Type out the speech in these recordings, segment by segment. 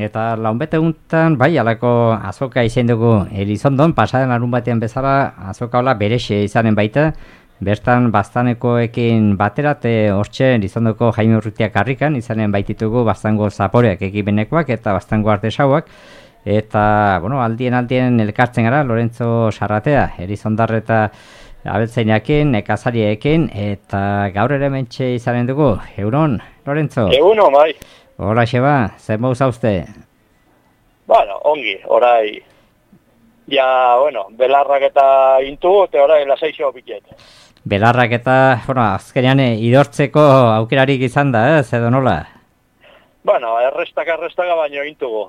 Eta launbete guntan, bai, alako azoka izan dugu Elizondon, pasaren larun batean bezala azoka hola berexe izanen baita, bertan baztanekoekin baterat, hortxe Elizondoko Jaime Urrutiak karrikan, izanen baititugu baztango zaporeak ekibenekoak eta baztango artesauak, eta, bueno, aldien elkartzen gara, Lorenzo Sarratea, Elizondar eta abeltzainakin, nekazariekin, eta gaur ere mentxe izanen dugu. Egunon, Lorenzo? Egunon, bai. Hola, Xeba, zer mouz hauzte? Bueno, ongi, orai, ja, bueno, belarrak eta intu, eta orai lasaixo piket. Belarrak eta, bueno, azkenean idortzeko aukerarik izan da, edo nola? Bueno, errestaka baino intugu.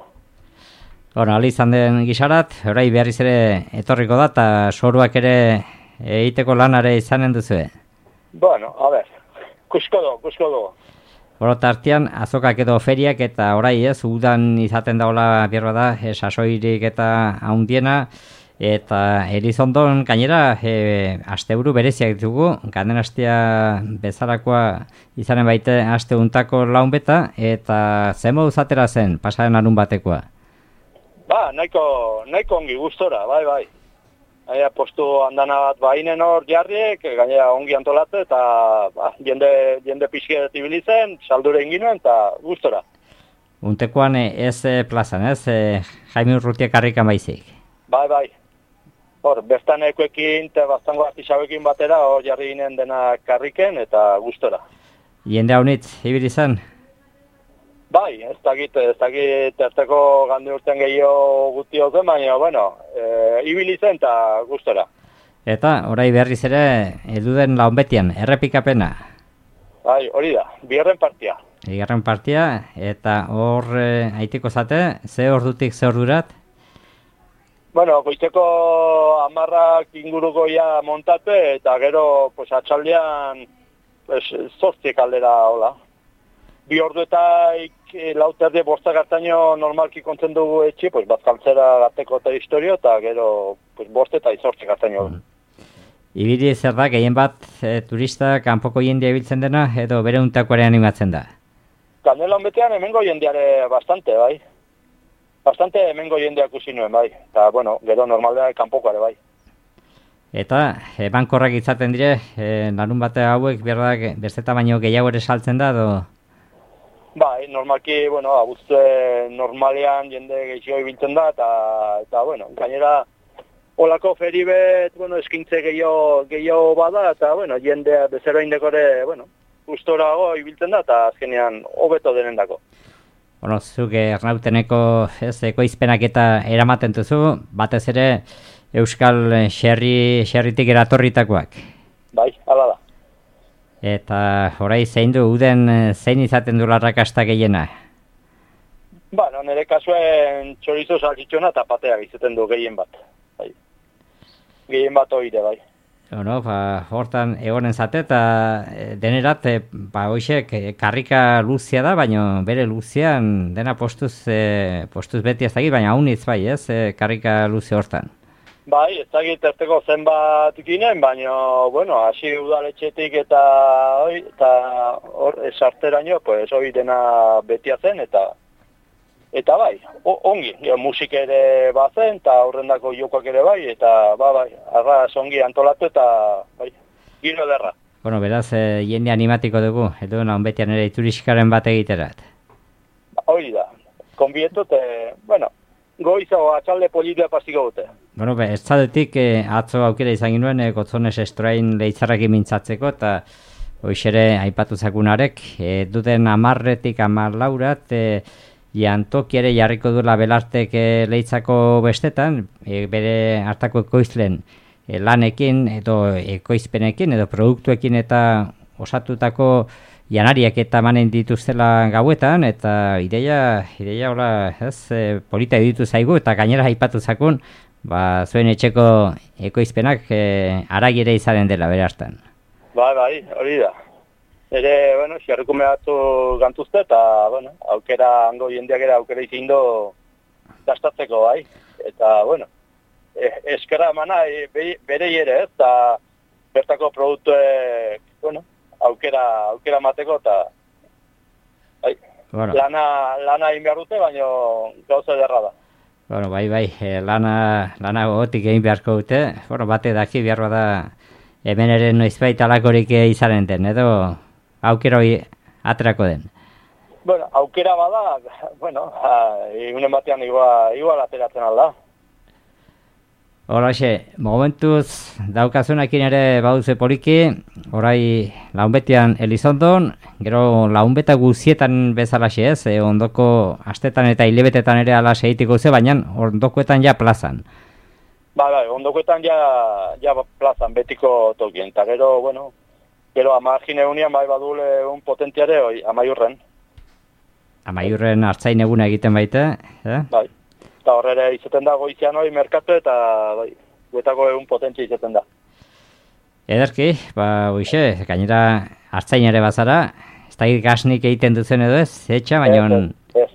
Bueno, ali izan den gisarat, orai berriz ere etorriko da, eta soruak ere egiteko lanare izanen duzue. Bueno, a ber, kusko du. Horo tartean, azokak edo feriak eta orai udan izaten daola bierba da, sasoirik eta haundiena, eta Elizondon gainera asteburu bereziak ditugu, ganden astea bezalakoa izanen baite aste untako launbeta, eta zemo uzatera zen, pasaren larun batekoa? Ba, nahiko ongi gustora, bai. Gainera postu andana bat bainen hor jarriek, gainera ongi antolatze, eta jende pixket ibilitzen, saldure inginuen, eta gustora. Untekoan ez plazan, ez? Jaime Urrutiak karrikan baizik. Bai. Hor, bertanekoekin eta baztango artisauekin batera hor jarri ginen dena karriken eta gustora. Jende haunitz, ibili zen? Bai, ez dakit erteko gande urten gehiago guti zen, baina, bueno, ibili zen eta gustora. Eta, orai berriz ere, eduden launbetian, errepikapena? Bai, hori da, bigarren partia. Bigarren partia, eta hor haiteko zate, ze ordutik ze ordurat? Bueno, goizeko 10 inguruko ja montate, eta gero, pues, atxaldean, pues, 8 aldera, hola. 2 orduetaik lauterdi bostak hartaino normalki kontzen dugu etxe, pues, bazkaltzera gateko eta historio, eta gero pues, 5 eta 8 hartaino. Ibili zer da, gehien bat turista kanpoko jendea ibiltzen dena, edo bere untakoare animatzen da? Kanela honbetean hemengo jendeare bastante, bai. Bastante hemengo jendeak ikusi nuen, bai. Eta, bueno, gero normaldean kanpokoare, bai. Eta, ebankorrak izaten dire, larun bate hauek, berdak, besteta baino gehiago ere saltzen da, edo? Bai, normalki, bueno, abuztue normalean jende gehiago ibiltzen da, eta bueno, gainera, olako feribet, bueno, eskintze gehiago bada, eta, bueno, jendea bezero indekore, bueno, gustorago ibiltzen da, eta azkenean hobeto denendako. Bueno, zuk Arnauteneko ekoizpenak eta eramaten duzu, batez ere Euskal Xerritik eratorritakoak. Bai, hala da. Eta orai zein du, uden zein izaten du larrakasta gehiena? Bueno, nire kasuen txorizo saltxitxona eta pateak izaten du gehien bat. Bai. Gehien bat oire, bai. Bueno, hortan egonen zate eta denerat, hoxek karrika luzia da, baina bere luzian dena postuz beti ez dakit, baina haunitz bai, ez, karrika luzia hortan. Bai, ez dakit erteko zenbat ginen, baina, bueno, hasi udaletxetik eta hor esarteraino, pues, hori dena betia zen, eta bai, ongi, musik ere bazen, eta horrendako jokoak ere bai, eta bai, arraz ongi antolatu eta bai, giro ederra. Bueno, beraz, jende animatiko dugu, edo honbetian ere ituriskaren bat egiterat. Hori da, konbietu, bueno, goizago atxalde politia pasiko dute. Bueno, ez zadetik atzo aukera izan ginuen Gotzones Estroain leitzarrakin mintzatzeko, eta hoxere aipatu zakunarek, duten 10-etik 14 jantoki ere jarriko duela belartek leitzako bestetan, bere hartako ekoizlen lanekin edo ekoizpenekin edo produktuekin eta osatutako janariak eta manen dituztela gauetan, eta ideia hola, polita ditu zaigu, eta gainera aipatu zakun, zuen etxeko ekoizpenak aragi ere izanen dela bere hartan. Bai, hori da. Ere, bueno, xerrikume batzu gantuzte, eta, bueno, aukera, hango jendeak ere aukera izin do gastatzeko, bai. Eta, bueno, eskera emana bere ere, eta bertako produktuek, bueno, aukera mateko, eta, bai, Bueno. Lana egin behar dute, baina gauza ederra da. Bueno, bai, lana gogotik egin beharko dute. Bueno, bate daki behar da hemen ere noizbait alakorik izanen den, edo aukera hori aterako den. Bueno, aukera bada, bueno, egunen batean igual ateratzen alda. Horaxe, momentuz daukazunakin ere baduze poliki, orai launbetian Elizondon, gero launbeta guzietan bezalaxe ez, ondoko astetan eta hilebetetan ere ala segitiko ze, baina ondokoetan ja plazan. Bai, ondokoetan ja plazan betiko tokien, eta gero, bueno, gero amargin egunian bai badule un potentiare Amaiurren. Amaiurren hartzain eguna egiten baite, Bai. Eta horrere izaten da goizian hori merkatu eta bai, guetako egun potentzia izaten da. Ederki, hoxe, gainera hartzain ere bazara, ez da gasnik egiten duzen edo ez, etxa, baina... Ez.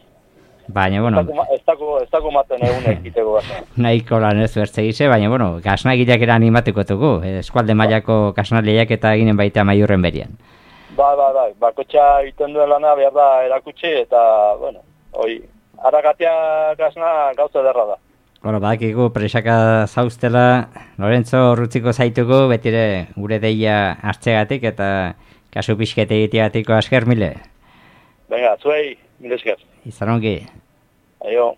Baina, bueno... Ez dako maten egun egiteko gasa. Nahiko lan ez bertzegize, baina, bueno, gasnagileak era animatuko dugu, eskualde mailako gasnaleak eta eginen baita Amaiurren berian. Bai, bakotxa egiten duen lana behar da erakutsi eta, bueno, hoi... Aragatia gasna gauza derra da. Bueno, badakigu presaka zauztela, Lorenzo rutziko zaitugu, betire gure deia hartzegatik eta kasu pixkete egitegatiko asker mile. Venga, zuei, mile esker. Izan ongi. Aio.